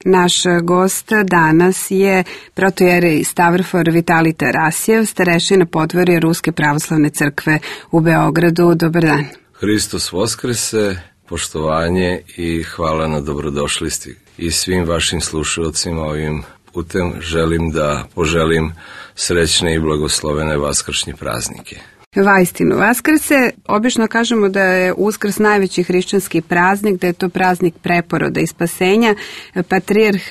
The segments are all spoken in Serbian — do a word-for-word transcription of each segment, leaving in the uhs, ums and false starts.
Naš gost danas je protojerej Stavrofor Vitalij Tarasijev, starešina podvorja Ruske pravoslavne crkve u Beogradu. Dobar dan. Hristos Voskrese, poštovanje i hvala na dobrodošlisti. I svim vašim slušalcima ovim putem želim da poželim srećne i blagoslovene vaskršnje praznike. Vaistinu, Vaskrse, obično kažemo da je Uskrs najveći hrišćanski praznik, da je to praznik preporoda i spasenja. Patrijarh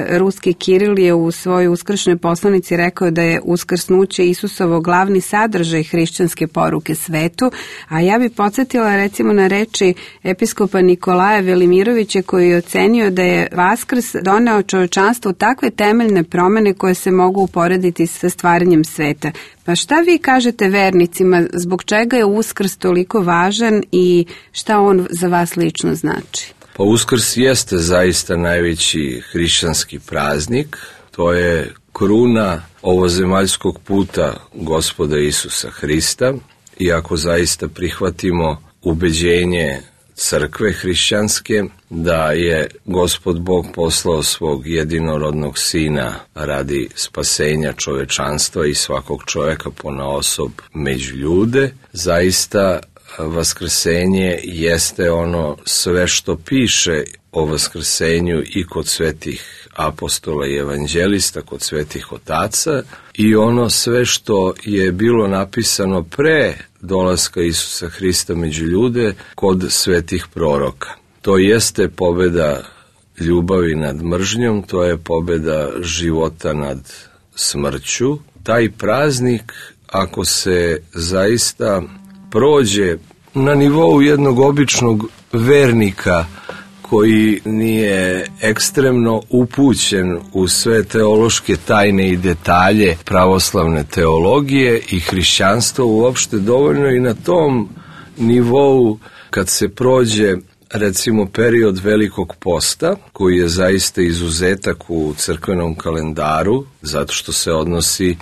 ruski Kiril je u svojoj uskršnjoj poslanici rekao da je uskrsnuće Isusovo glavni sadržaj hrišćanske poruke svetu, a ja bi podsjetila recimo na reči episkopa Nikolaja Velimirovića koji je ocenio da je Vaskrs doneo čovječanstvu takve temeljne promene koje se mogu uporediti sa stvaranjem sveta. Pa šta vi kažete vernicima, zbog čega je Uskrs toliko važan i šta on za vas lično znači? Pa Uskrs jeste zaista najveći hrišćanski praznik, to je kruna ovozemaljskog puta Gospoda Isusa Hrista i ako zaista prihvatimo ubeđenje crkve hrišćanske da je Gospod Bog poslao svog jedinorodnog sina radi spasenja čovečanstva i svakog čoveka ponaosob među ljude, zaista vaskrsenje jeste ono sve što piše o vaskrsenju i kod svetih apostola i evanđelista, kod svetih otaca i ono sve što je bilo napisano pre dolaska Isusa Hrista među ljude kod svetih proroka. To jeste pobeda ljubavi nad mržnjom, to je pobeda života nad smrću. Taj praznik, ako se zaista prođe na nivou jednog običnog vernika koji nije ekstremno upućen u sve teološke tajne i detalje pravoslavne teologije i hrišćanstva uopšte, dovoljno i na tom nivou kad se prođe recimo period Velikog posta, koji je zaista izuzetak u crkvenom kalendaru, zato što se odnosi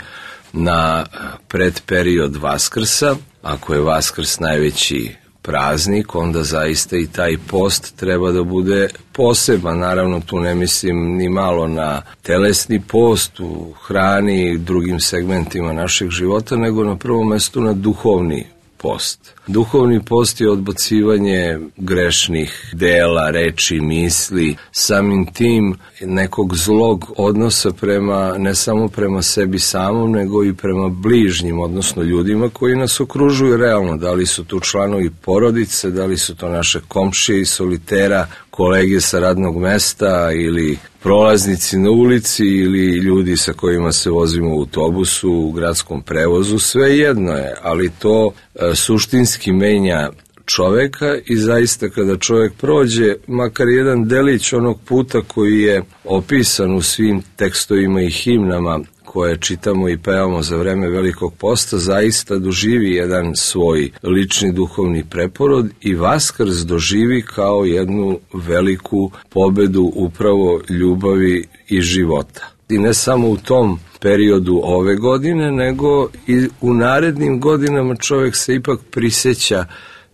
na predperiod Vaskrsa. Ako je Vaskrs najveći praznik, onda zaista i taj post treba da bude poseban. Naravno, tu ne mislim ni malo na telesni post u hrani i drugim segmentima našeg života, nego na prvom mestu na duhovni post. Duhovni post je odbacivanje grešnih dela, reči, misli, samim tim nekog zlog odnosa prema, ne samo prema sebi samom, nego i prema bližnjim, odnosno ljudima koji nas okružuju realno. Da li su tu članovi porodice, da li su to naše komšije iz solitera, kolege sa radnog mesta ili prolaznici na ulici ili ljudi sa kojima se vozimo u autobusu, u gradskom prevozu, sve jedno je, ali to e, suštinski menja čoveka i zaista kada čovjek prođe makar jedan delić onog puta koji je opisan u svim tekstovima i himnama koje čitamo i pevamo za vreme Velikog posta, zaista doživi jedan svoj lični duhovni preporod i Vaskrs doživi kao jednu veliku pobedu upravo ljubavi i života. I ne samo u tom periodu ove godine, nego i u narednim godinama čovjek se ipak prisjeća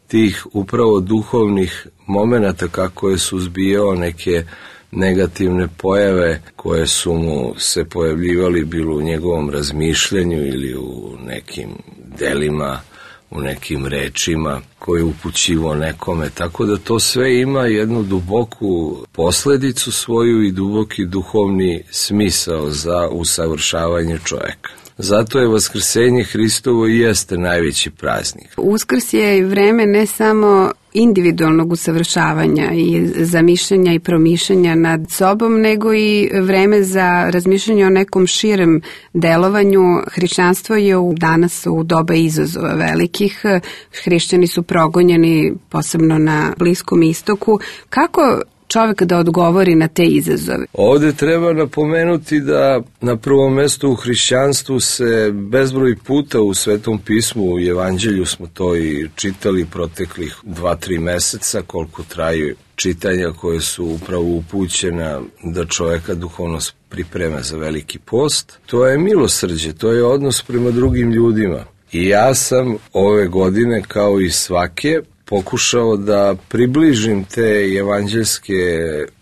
tih upravo duhovnih momenata kako je suzbijao neke negativne pojave koje su mu se pojavljivali bilo u njegovom razmišljanju ili u nekim delima, u nekim rečima koje je upućivo nekome. Tako da to sve ima jednu duboku posledicu svoju i duboki duhovni smisao za usavršavanje čovjeka. Zato je Vaskrsenje Hristovo i jeste najveći praznik. Uskrs je i vreme ne samo individualnog usavršavanja i zamišljanja i promišljanja nad sobom, nego i vreme za razmišljanje o nekom širem delovanju. Hrišćanstvo je u, danas u doba izazova velikih. Hrišćani su progonjeni, posebno na Bliskom istoku. Kako čovjek da odgovori na te izazove? Ovdje treba napomenuti da na prvom mjestu u hrišćanstvu se bezbroj puta u Svetom pismu, u Evanđelju smo to i čitali proteklih dva, tri meseca, koliko traju čitanja koje su upravo upućena da čovjeka duhovno pripreme za Veliki post. To je milosrđe, to je odnos prema drugim ljudima. I ja sam ove godine, kao i svake, pokušao da približim te evanđelske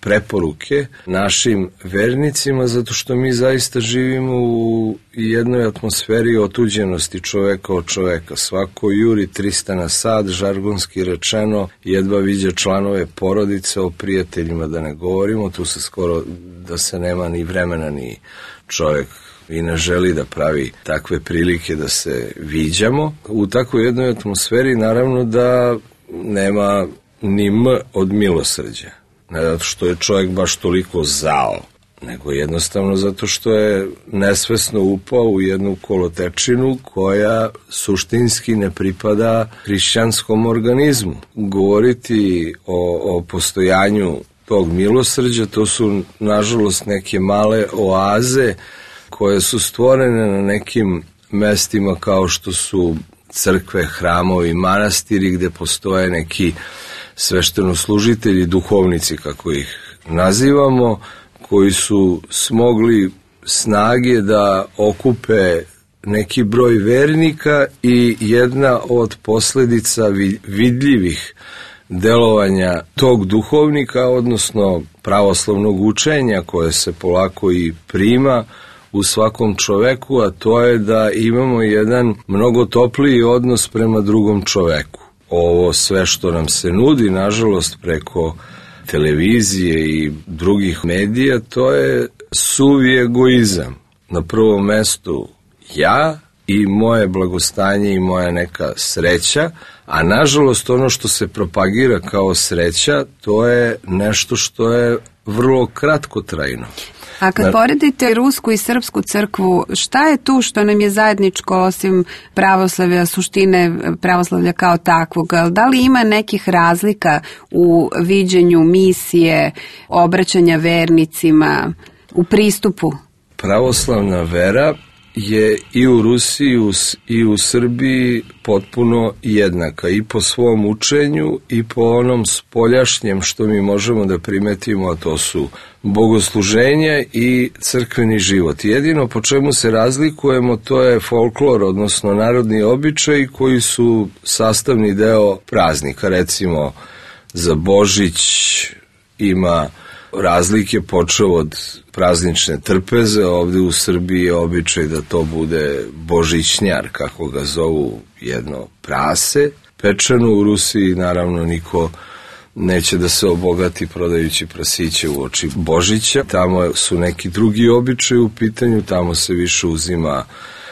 preporuke našim vernicima, zato što mi zaista živimo u jednoj atmosferi otuđenosti čoveka od čoveka. Svako juri trista na sat, žargonski rečeno, jedva viđa članove porodice, o prijateljima da ne govorimo, tu se skoro da se nema ni vremena ni čovek i ne želi da pravi takve prilike da se viđamo. U takvoj jednoj atmosferi naravno da nema ni M od milosrđa. Ne zato što je čovjek baš toliko zao, nego jednostavno zato što je nesvesno upao u jednu kolotečinu koja suštinski ne pripada hrišćanskom organizmu. Govoriti o, o postojanju tog milosrđa, to su nažalost neke male oaze koje su stvorene na nekim mestima kao što su crkve, hramovi, manastiri, gde postoje neki sveštenoslužitelji, duhovnici kako ih nazivamo, koji su smogli snage da okupe neki broj vernika i jedna od posledica vidljivih delovanja tog duhovnika, odnosno pravoslavnog učenja koje se polako i prima u svakom čoveku, a to je da imamo jedan mnogo topliji odnos prema drugom čoveku. Ovo sve što nam se nudi, nažalost, preko televizije i drugih medija, to je suvi egoizam. Na prvom mestu ja i moje blagostanje i moja neka sreća, a nažalost ono što se propagira kao sreća, to je nešto što je vrlo kratkotrajno. A kad poredite rusku i srpsku crkvu, šta je tu što nam je zajedničko osim pravoslavlja, suštine pravoslavlja kao takvog? Da li ima nekih razlika u viđenju misije, obraćanja vernicima, u pristupu? Pravoslavna vera je i u Rusiji i u Srbiji potpuno jednaka i po svom učenju i po onom spoljašnjem što mi možemo da primetimo, a to su bogosluženje i crkveni život. Jedino po čemu se razlikujemo, to je folklor, odnosno narodni običaj koji su sastavni deo praznika. Recimo za Božić ima razlike, počeo od praznične trpeze, ovde u Srbiji je običaj da to bude božićnjar, kako ga zovu, jedno prase pečeno. U Rusiji naravno niko neće da se obogati prodajući prasiće u oči Božića. Tamo su neki drugi običaj u pitanju, tamo se više uzima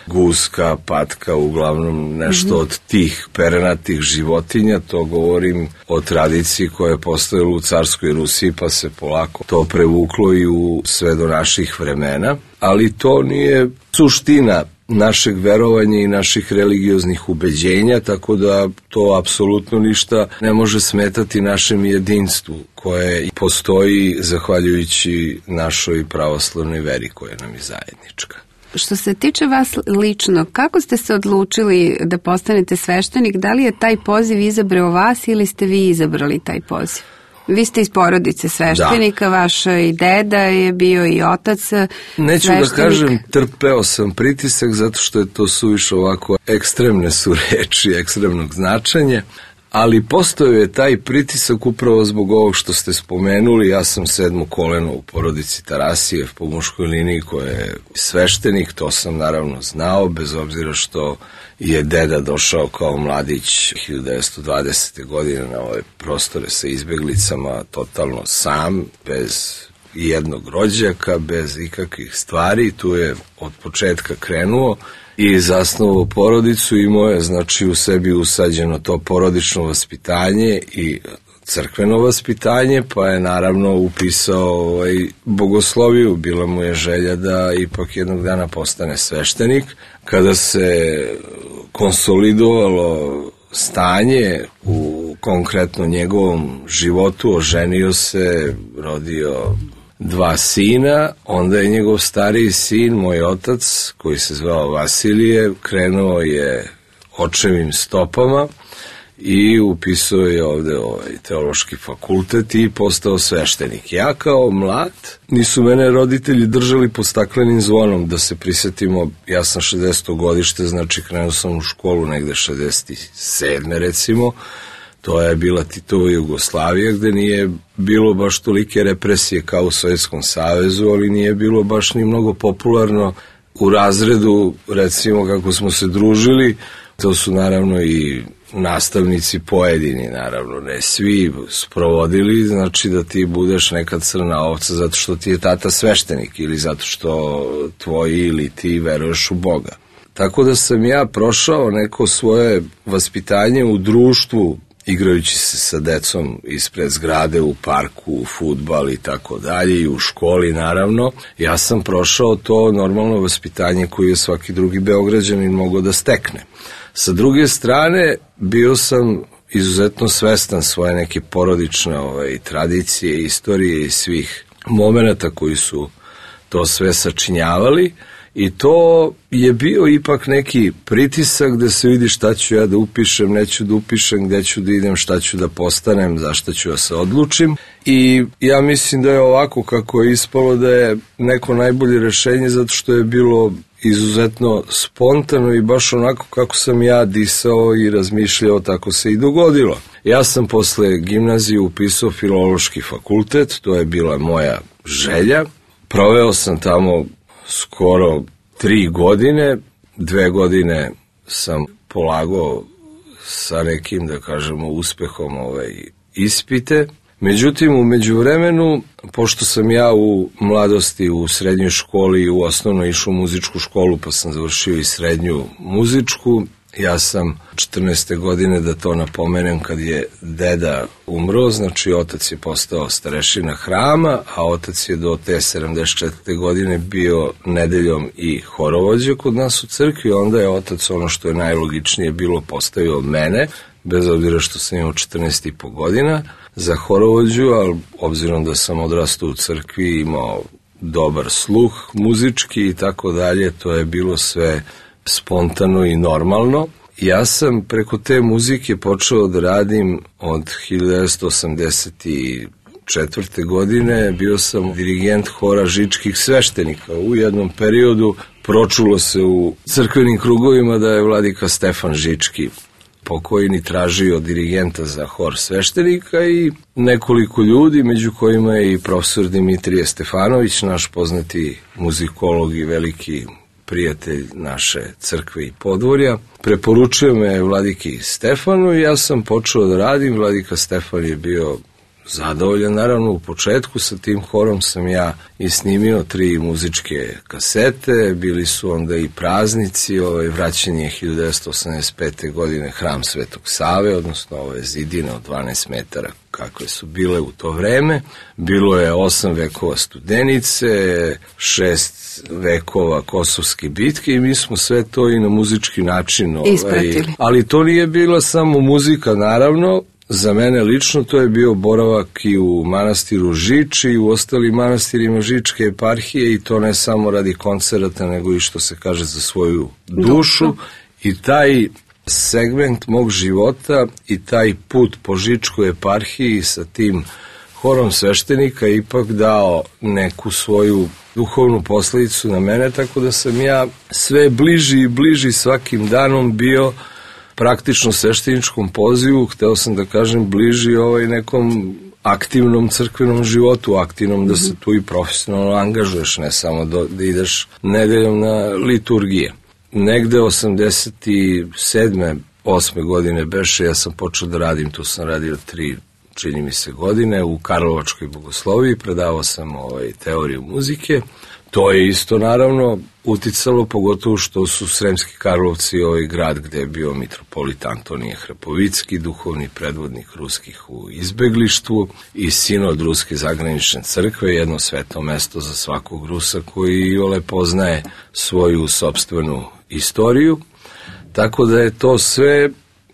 guska, patka, uglavnom nešto mm-hmm. od tih perenatih životinja. To govorim o tradiciji koja je postojala u carskoj Rusiji, pa se polako to prevuklo i u sve do naših vremena. Ali to nije suština našeg verovanja i naših religioznih ubeđenja, tako da to apsolutno ništa ne može smetati našem jedinstvu koje postoji zahvaljujući našoj pravoslavnoj veri koja nam je zajednička. Što se tiče vas lično, kako ste se odlučili da postanete sveštenik? Da li je taj poziv izabrao vas ili ste vi izabrali taj poziv? Vi ste iz porodice sveštenika, da. Vaš i deda je bio i otac Neću sveštenik. Da kažem, trpeo sam pritisak zato što je to suviše ovako ekstremne su reči, ekstremnog značenja, ali postojao je taj pritisak upravo zbog ovog što ste spomenuli. Ja sam sedmo koleno u porodici Tarasijev po muškoj liniji koja je sveštenik, to sam naravno znao, bez obzira što je deda došao kao mladić hiljadu devetsto dvadesete. godine na ove prostore sa izbeglicama totalno sam, bez jednog rođaka, bez ikakvih stvari. Tu je od početka krenuo i zasnovao porodicu, imao je znači u sebi usađeno to porodično vaspitanje i crkveno vaspitanje, pa je naravno upisao ovaj, bogosloviju. Bila mu je želja da ipak jednog dana postane sveštenik. Kada se konsolidovalo stanje u konkretno njegovom životu, oženio se, rodio dva sina, onda je njegov stariji sin, moj otac, koji se zvao Vasilije, krenuo je očevim stopama i upisao je ovde ovaj teološki fakultet i postao sveštenik. Ja kao mlad, nisu mene roditelji držali pod staklenim zvonom, da se prisetimo, ja sam šezdeseto godište, znači krenuo sam u školu negde šezdeset sedme recimo, To je bila Titova Jugoslavija gde nije bilo baš tolike represije kao u Sovjetskom savezu, ali nije bilo baš ni mnogo popularno u razredu, recimo kako smo se družili. To su naravno i nastavnici pojedini, naravno ne svi, sprovodili, znači da ti budeš neka crna ovca zato što ti je tata sveštenik ili zato što tvoji ili ti veruješ u Boga. Tako da sam ja prošao neko svoje vaspitanje u društvu, igrajući se sa decom ispred zgrade, u parku, u fudbal i tako dalje, i u školi naravno. Ja sam prošao to normalno vaspitanje koje je svaki drugi Beograđanin mogao da stekne. Sa druge strane, bio sam izuzetno svestan svoje neke porodične ovaj, tradicije, istorije i svih momenata koji su to sve sačinjavali, i to je bio ipak neki pritisak da se vidi šta ću ja da upišem, neću da upišem, gde ću da idem, šta ću da postanem, zašto ću da se odlučim. I ja mislim da je ovako kako je ispalo da je neko najbolje rešenje, zato što je bilo izuzetno spontano i baš onako kako sam ja disao i razmišljao, tako se i dogodilo. Ja sam posle gimnazije upisao Filološki fakultet, to je bila moja želja. Proveo sam tamo skoro tri godine, dve godine sam polagao sa nekim, da kažemo, uspehom ovaj, ispite. Međutim, u međuvremenu, pošto sam ja u mladosti u srednjoj školi i u osnovnoj išao u muzičku školu, pa sam završio i srednju muzičku, ja sam četrnaeste godine, da to napomenem, kad je deda umro, znači otac je postao starešina hrama, a otac je do te sedamdeset četvrte godine bio nedeljom i horovođa kod nas u crkvi. Onda je otac, ono što je najlogičnije bilo, postavio mene, bez obzira što sam imao četrnaest i po godina, za horovođu, ali obzirom da sam odrastao u crkvi, imao dobar sluh muzički i tako dalje, to je bilo sve spontano i normalno. Ja sam preko te muzike počeo da radim od hiljadu devetsto osamdeset četvrte godine, bio sam dirigent hora žičkih sveštenika. U jednom periodu pročulo se u crkvenim krugovima da je vladika Stefan Žički pokojni tražio dirigenta za hor sveštenika i nekoliko ljudi, među kojima je i profesor Dimitrije Stefanović, naš poznati muzikolog i veliki prijatelj naše crkve i podvorja. Preporučio me vladiki Stefanu i ja sam počeo da radim. Vladika Stefan je bio zadovoljan. Naravno, u početku sa tim horom sam ja i snimio tri muzičke kasete, bili su onda i praznici, ovaj, vraćanje hiljadu devetsto osamdeset pete godine Hram Svetog Save, odnosno ove zidine od dvanaest metara kakve su bile u to vreme. Bilo je osam vekova Studenice, šest vekova Kosovske bitke i mi smo sve to i na muzički način ovaj, ispratili. Ali to nije bila samo muzika, naravno. Za mene lično to je bio boravak i u manastiru Žič i u ostalim manastirima Žičke eparhije, i to ne samo radi koncerata, nego i što se kaže za svoju dušu. Dobro. I taj segment mog života i taj put po Žičkoj eparhiji sa tim horom sveštenika je ipak dao neku svoju duhovnu posledicu na mene, tako da sam ja sve bliži i bliži svakim danom bio praktično svešteničkom pozivu. Hteo sam da kažem bliži ovaj nekom aktivnom crkvenom životu, aktivnom da se tu i profesionalno angažuješ, ne samo do, da ideš nedeljom na liturgije. Negde osamdeset sedme osme godine beše, ja sam počeo da radim, tu sam radio tri, čini mi se, godine, u Karlovačkoj bogosloviji, predavao sam ovaj, teoriju muzike. To je isto naravno uticalo, pogotovo što su Sremski Karlovci ovaj grad gde je bio mitropolit Antonije Hrapovicki, duhovni predvodnik ruskih u izbeglištvu, i sinod Ruske zagranične crkve, jedno sveto mesto za svakog Rusa koji iole poznaje svoju sopstvenu istoriju. Tako da je to sve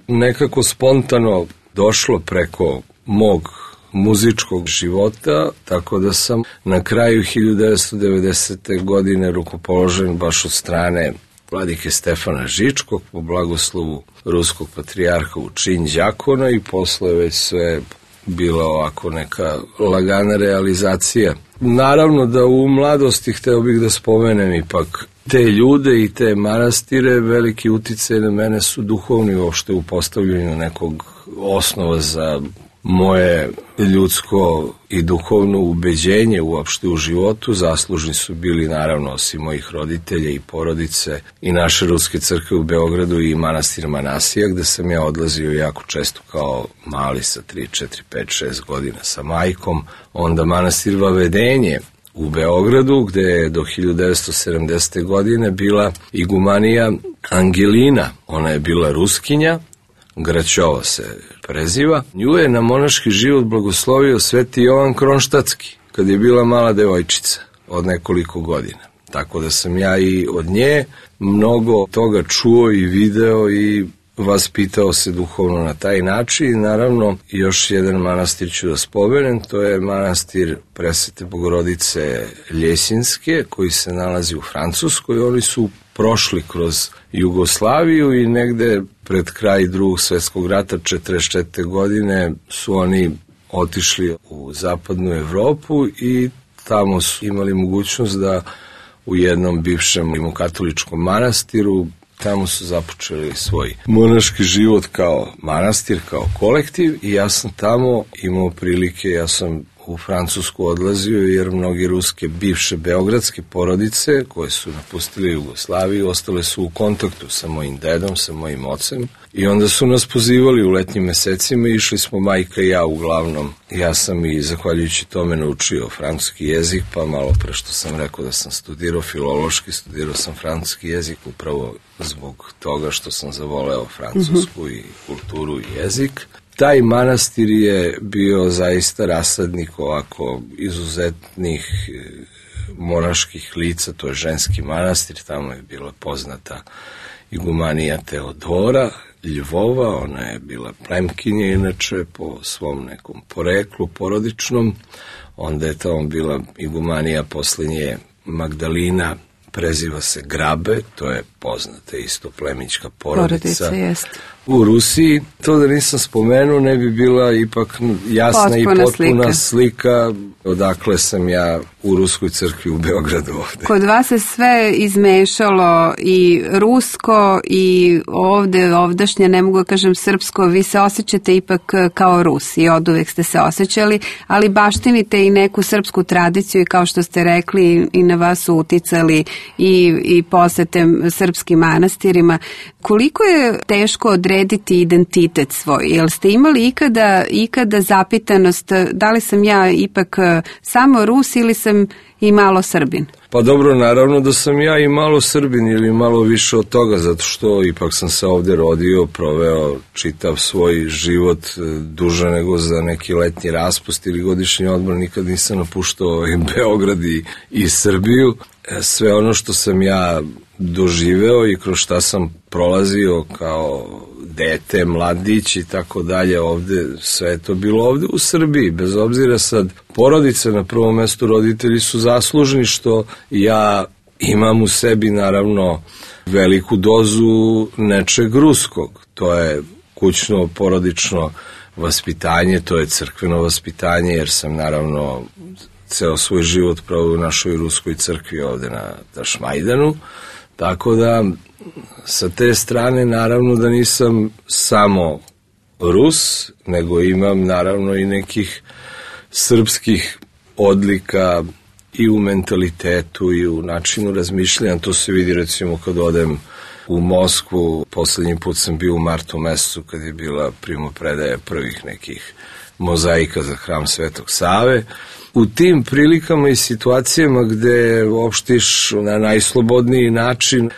nekako spontano došlo preko mog muzičkog života, tako da sam na kraju hiljadu devetsto devedesete godine rukopoložen baš od strane vladike Stefana Žičkog po blagoslovu ruskog patrijarha u čin đakona, i posle već sve bila ovako neka lagana realizacija naravno da u mladosti hteo bih da spomenem ipak te ljude i te manastire. Veliki uticaj na mene su duhovni uopšte u postavljanju nekog osnova za moje ljudsko i duhovno ubeđenje uopšte u životu. Zaslužni su bili naravno osim mojih roditelja i porodice i naše Ruske crkve u Beogradu i manastir Manasija, gde sam ja odlazio jako često kao mali sa tri, četiri, pet, šest godina sa majkom. Onda manastir Vavedenje u Beogradu, gde je do hiljadu devetsto sedamdesete. godine bila igumanija Angelina. Ona je bila Ruskinja, Graćova se preziva. Nju je na monaški život blagoslovio sveti Jovan Kronštatski, kad je bila mala devojčica od nekoliko godina. Tako da sam ja i od nje mnogo toga čuo i video i vaspitao se duhovno na taj način. Naravno, još jedan manastir ću da spomenem, to je manastir Presvete Bogorodice Ljesinske, koji se nalazi u Francuskoj. Oni su prošli kroz Jugoslaviju i negde pred kraj Drugog svjetskog rata četrdeset četvrte. godine su oni otišli u zapadnu Evropu i tamo su imali mogućnost da u jednom bivšem rimokatoličkom manastiru tamo su započeli svoj monaški život kao manastir, kao kolektiv i ja sam tamo imao prilike, ja sam u Francusku odlazio jer mnogi ruske bivše beogradske porodice koje su napustili Jugoslaviju ostale su u kontaktu sa mojim dedom, sa mojim ocem i onda su nas pozivali u letnjim mesecima i išli smo majka i ja uglavnom. Ja sam i zahvaljujući tome naučio francuski jezik, pa malo pre što sam rekao da sam studirao filološki, studirao sam francuski jezik upravo zbog toga što sam zavoleo francusku mm-hmm. i kulturu i jezik. Taj manastir je bio zaista rasadnik ovako izuzetnih monaških lica, to je ženski manastir, tamo je bila poznata igumanija Teodora Ljvova, ona je bila plemkinja inače po svom nekom poreklu porodičnom, onda je tamo bila igumanija poslednje Magdalina, preziva se Grabe, to je poznata isto plemićka porodica. Porodica, u Rusiji. To da nisam spomenuo ne bi bila ipak jasna potpuna i potpuna slika. slika odakle sam ja u Ruskoj crkvi u Beogradu ovde. Kod vas se sve izmešalo i rusko i ovde ovdašnje, ne mogu da kažem srpsko, vi se osjećate ipak kao Rusi i od uvek ste se osjećali, ali baštinite i neku srpsku tradiciju i kao što ste rekli i na vas su uticali i, i posete srpskim manastirima. Koliko je teško odrediti identitet svoj? Jel ste imali ikada, ikada zapitanost da li sam ja ipak samo Rus ili sam i malo Srbin? Pa dobro, naravno da sam ja i malo Srbin ili malo više od toga, zato što ipak sam se ovde rodio, proveo čitav svoj život duže nego za neki letnji raspust ili godišnji odmor, nikad nisam napuštao i Beograd i, i Srbiju. Sve ono što sam ja doživeo i kroz šta sam prolazio kao dete, mladić i tako dalje ovde, sve je to bilo ovde u Srbiji, bez obzira sad porodice na prvom mestu, roditelji su zaslužni što ja imam u sebi naravno veliku dozu nečeg ruskog, to je kućno, porodično vaspitanje, to je crkveno vaspitanje jer sam naravno ceo svoj život proveo u našoj ruskoj crkvi ovde na Tašmajdanu, tako da sa te strane naravno da nisam samo Rus, nego imam naravno i nekih srpskih odlika i u mentalitetu i u načinu razmišljanja. To se vidi recimo kad odem u Moskvu, poslednji put sam bio u martu mesecu kad je bila primopredaja prvih nekih mozaika za hram Svetog Save. U tim prilikama i situacijama gde opštiš na najslobodniji način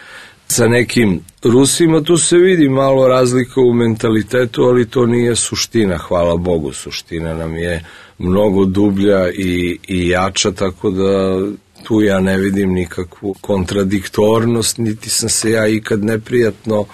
sa nekim Rusima, tu se vidi malo razlika u mentalitetu, ali to nije suština, hvala Bogu. Suština nam je mnogo dublja i, i jača, tako da tu ja ne vidim nikakvu kontradiktornost, niti sam se ja ikad neprijatno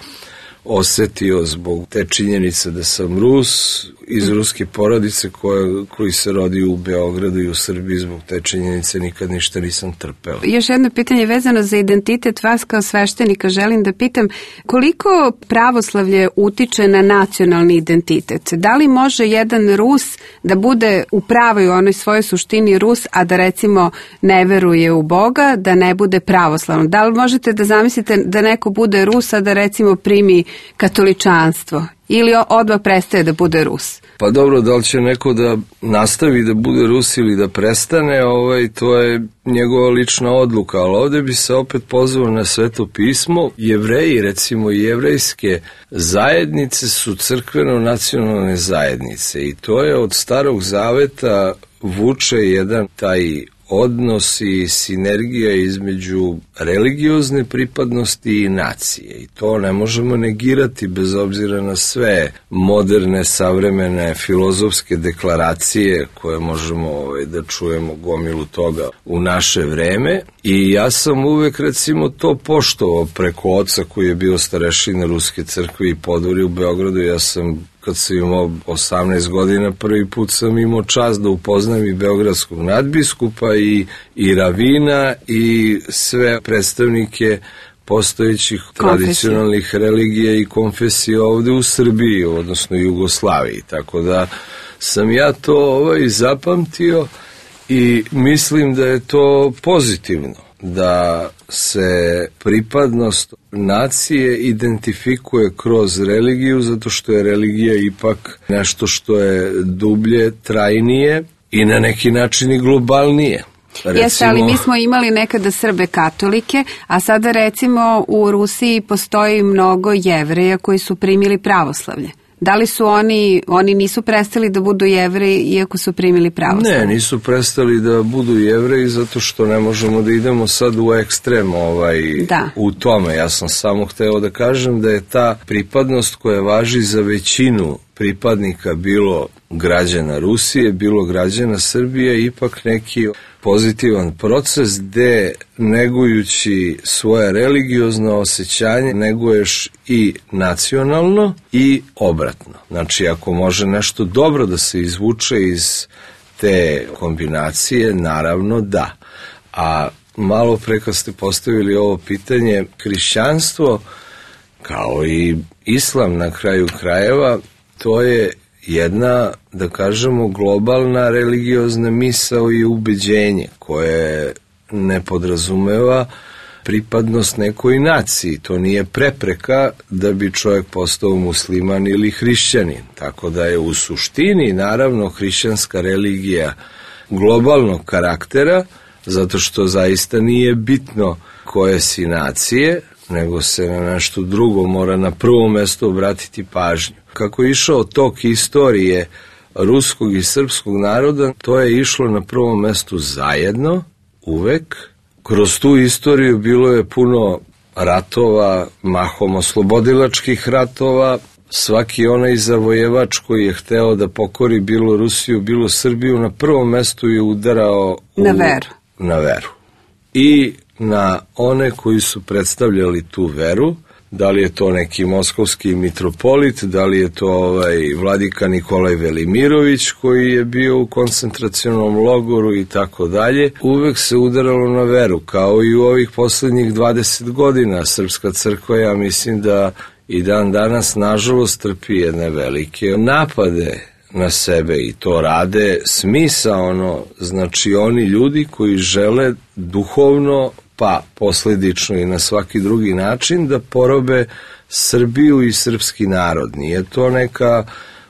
osetio zbog te činjenice da sam Rus iz ruske porodice koja, koji se rodi u Beogradu i u Srbiji, zbog te činjenice nikad ništa nisam trpeo. Još jedno pitanje vezano za identitet vas kao sveštenika. Želim da pitam koliko pravoslavlje utiče na nacionalni identitet? Da li može jedan Rus da bude u pravoj onoj svojoj suštini Rus, a da recimo ne veruje u Boga, da ne bude pravoslavno? Da li možete da zamislite da neko bude Rus, a da recimo primi katoličanstvo? Ili odmah prestaje da bude Rus? Pa dobro, da li će neko da nastavi da bude Rus ili da prestane, ovaj, to je njegova lična odluka, ali ovdje bi se opet pozvao na Sveto pismo. Jevreji, recimo i jevrejske zajednice su crkveno-nacionalne zajednice i to je od Starog zaveta vuče jedan taj odnos i sinergija između religiozne pripadnosti i nacije. I to ne možemo negirati bez obzira na sve moderne, savremene filozofske deklaracije koje možemo ovaj, da čujemo gomilu toga u naše vreme. I ja sam uvek recimo to poštovao preko oca koji je bio starešina Ruske crkve i podvori u Beogradu. Ja sam, kad sam imao osamnaest godina, prvi put sam imao čast da upoznam i beogradskog nadbiskupa i, i ravina i sve predstavnike postojećih tradicionalnih religija i konfesija ovde u Srbiji, odnosno Jugoslaviji. Tako da sam ja to ovaj, zapamtio i mislim da je to pozitivno, da se pripadnost nacije identifikuje kroz religiju, zato što je religija ipak nešto što je dublje, trajnije i na neki način i globalnije. Recimo... Jeste, ali mi smo imali nekada Srbe katolike, a sada recimo u Rusiji postoji mnogo Jevreja koji su primili pravoslavlje. Da li su oni, oni nisu prestali da budu Jevreji iako su primili pravoslavlje? Ne, nisu prestali da budu Jevreji zato što ne možemo da idemo sad u ekstrem ovaj, da. u tome. Ja sam samo hteo da kažem da je ta pripadnost koja važi za većinu pripadnika bilo građana Rusije, bilo građana Srbije, ipak neki pozitivan proces gde negujući svoje religiozno osjećanje neguješ i nacionalno i obratno. Znači, ako može nešto dobro da se izvuče iz te kombinacije, naravno da. A malo pre kad ste postavili ovo pitanje, hrišćanstvo kao i islam na kraju krajeva, to je jedna, da kažemo, globalna religiozna misao i ubeđenje koje ne podrazumeva pripadnost nekoj naciji. To nije prepreka da bi čovjek postao musliman ili hrišćanin. Tako da je u suštini, naravno, hrišćanska religija globalnog karaktera, zato što zaista nije bitno koje si nacije, nego se na nešto drugo mora na prvo mesto obratiti pažnju. Kako je išao tok istorije ruskog i srpskog naroda, to je išlo na prvom mestu zajedno, uvek. Kroz tu istoriju bilo je puno ratova, mahom oslobodilačkih ratova. Svaki onaj zavojevač koji je hteo da pokori bilo Rusiju, bilo Srbiju, na prvom mestu je udarao u, na veru. Na veru. I na one koji su predstavljali tu veru, da li je to neki moskovski mitropolit, da li je to ovaj vladika Nikolaj Velimirović koji je bio u koncentracionom logoru i tako dalje, uvek se udaralo na veru, kao i u ovih poslednjih dvadeset godina. Srpska crkva, ja mislim da i dan danas, nažalost, trpi jedne velike napade na sebe i to rade smisaono, znači oni ljudi koji žele duhovno, pa posledično i na svaki drugi način, da porobe Srbiju i srpski narod. Nije to neka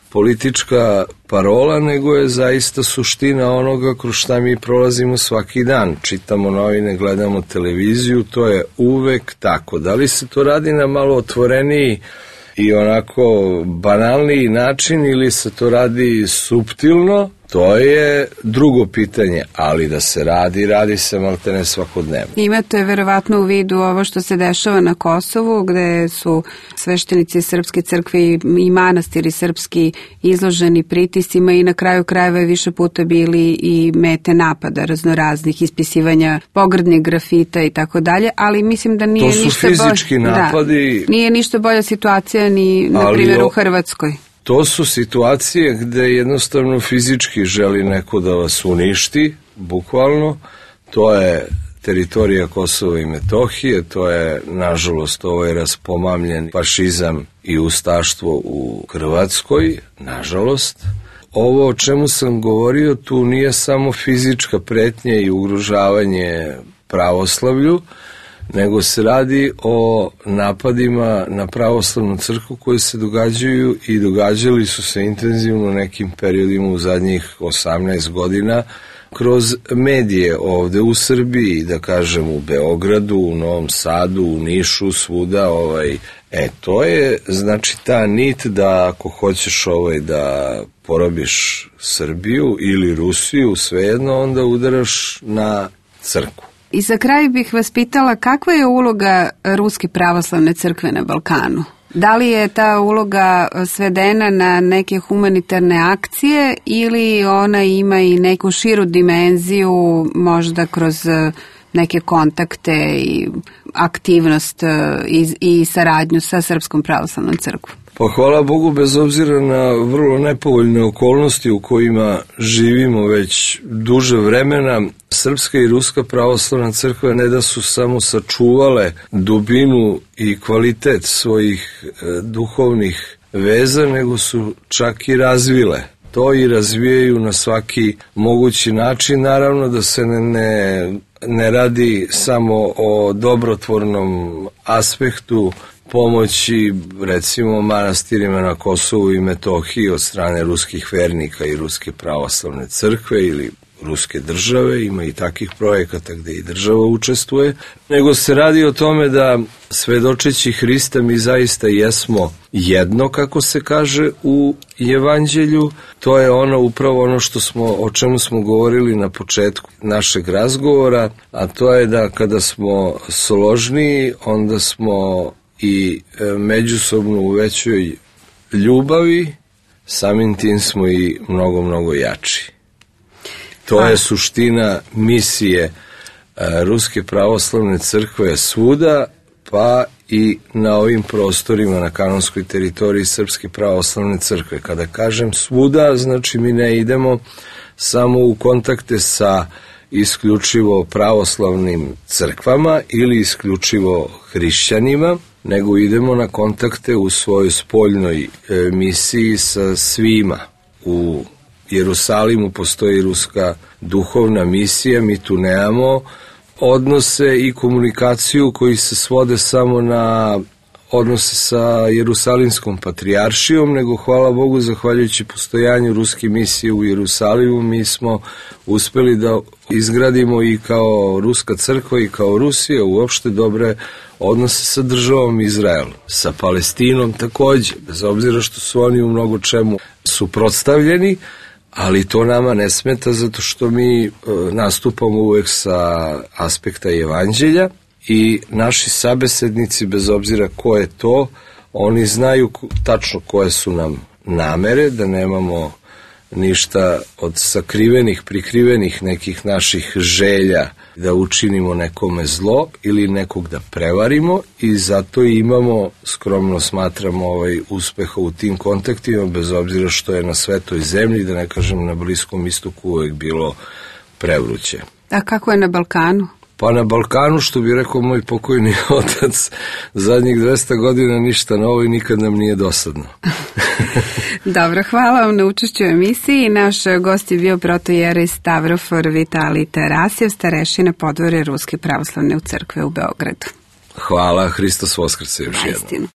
politička parola, nego je zaista suština onoga kroz šta mi prolazimo svaki dan. Čitamo novine, gledamo televiziju, to je uvek tako. Da li se to radi na malo otvoreniji i onako banalniji način ili se to radi suptilno, to je drugo pitanje, ali da se radi, radi se maltene svakodnevno. Imate verovatno u vidu ovo što se dešava na Kosovu, gde su sveštenici Srpske crkve i manastiri srpski izloženi pritiscima i na kraju krajeva je više puta bili i mete napada raznoraznih, ispisivanja pogrdnih grafita i tako dalje, ali mislim da nije ništa bolje. To su fizički napadi. Da, nije ništa bolja situacija ni, na primjer, u Hrvatskoj. To su situacije gde jednostavno fizički želi neko da vas uništi, bukvalno. To je teritorija Kosova i Metohije, to je, nažalost, ovaj raspomamljen fašizam i ustaštvo u Hrvatskoj, nažalost. Ovo o čemu sam govorio tu nije samo fizička pretnja i ugrožavanje pravoslavlju, nego se radi o napadima na pravoslavnu crkvu koji se događaju i događali su se intenzivno nekim periodima u zadnjih osamnaest godina kroz medije ovde u Srbiji, da kažem u Beogradu, u Novom Sadu, u Nišu, svuda. Ovaj, e, to je znači ta nit da ako hoćeš ovaj, da porobiš Srbiju ili Rusiju, svejedno, onda udaraš na crkvu. I za kraj bih vas pitala kakva je uloga Ruske pravoslavne crkve na Balkanu? Da li je ta uloga svedena na neke humanitarne akcije ili ona ima i neku širu dimenziju, možda kroz neke kontakte i aktivnost i, i saradnju sa Srpskom pravoslavnom crkvom? Pa hvala Bogu, bez obzira na vrlo nepovoljne okolnosti u kojima živimo već duže vremena, Srpska i Ruska pravoslavna crkva ne da su samo sačuvale dubinu i kvalitet svojih e, duhovnih veza, nego su čak i razvile to i razvijaju na svaki mogući način. Naravno da se ne, ne, ne radi samo o dobrotvornom aspektu pomoći, recimo, manastirima na Kosovu i Metohiji od strane ruskih vernika i Ruske pravoslavne crkve ili Ruske države, ima i takvih projekata gde i država učestvuje, nego se radi o tome da svedočeći Hrista mi zaista jesmo jedno, kako se kaže u Evanđelju. To je ono upravo ono što smo, o čemu smo govorili na početku našeg razgovora, a to je da kada smo složniji, onda smo i međusobno u većoj ljubavi, samim tim smo i mnogo, mnogo jači. To je suština misije Ruske pravoslavne crkve svuda, pa i na ovim prostorima na kanonskoj teritoriji Srpske pravoslavne crkve. Kada kažem svuda, znači mi ne idemo samo u kontakte sa isključivo pravoslavnim crkvama ili isključivo hrišćanima, nego idemo na kontakte u svojoj spoljnoj e, misiji sa svima. U Jerusalimu postoji ruska duhovna misija, mi tu nemamo odnose i komunikaciju koji se svode samo na odnose sa Jerusalimskom patrijaršijom, nego hvala Bogu, zahvaljujući postojanju ruske misije u Jerusalimu, mi smo uspeli da izgradimo i kao Ruska crkva i kao Rusija uopšte dobre odnose sa državom Izrael, sa Palestinom takođe, bez obzira što su oni u mnogo čemu suprotstavljeni, ali to nama ne smeta zato što mi e, nastupamo uvek sa aspekta Evanđelja i naši sabesednici, bez obzira ko je to, oni znaju tačno koje su nam namere, da nemamo ništa od sakrivenih, prikrivenih nekih naših želja da učinimo nekome zlo ili nekog da prevarimo i zato imamo, skromno smatramo, ovaj uspeha u tim kontaktima, bez obzira što je na svetoj zemlji, da ne kažem na Bliskom istoku, uvek bilo prevruće. A kako je na Balkanu? Pa na Balkanu, što bi rekao moj pokojni otac, zadnjih dvesta godina ništa novo i nikad nam nije dosadno. Dobro, hvala vam na učešću u emisiji. Naš gost je bio protojerej Stavrofor Vitalij Tarasjev, starešina podvore Ruske pravoslavne crkve u Beogradu. Hvala, Hristos Voskrse još jednom.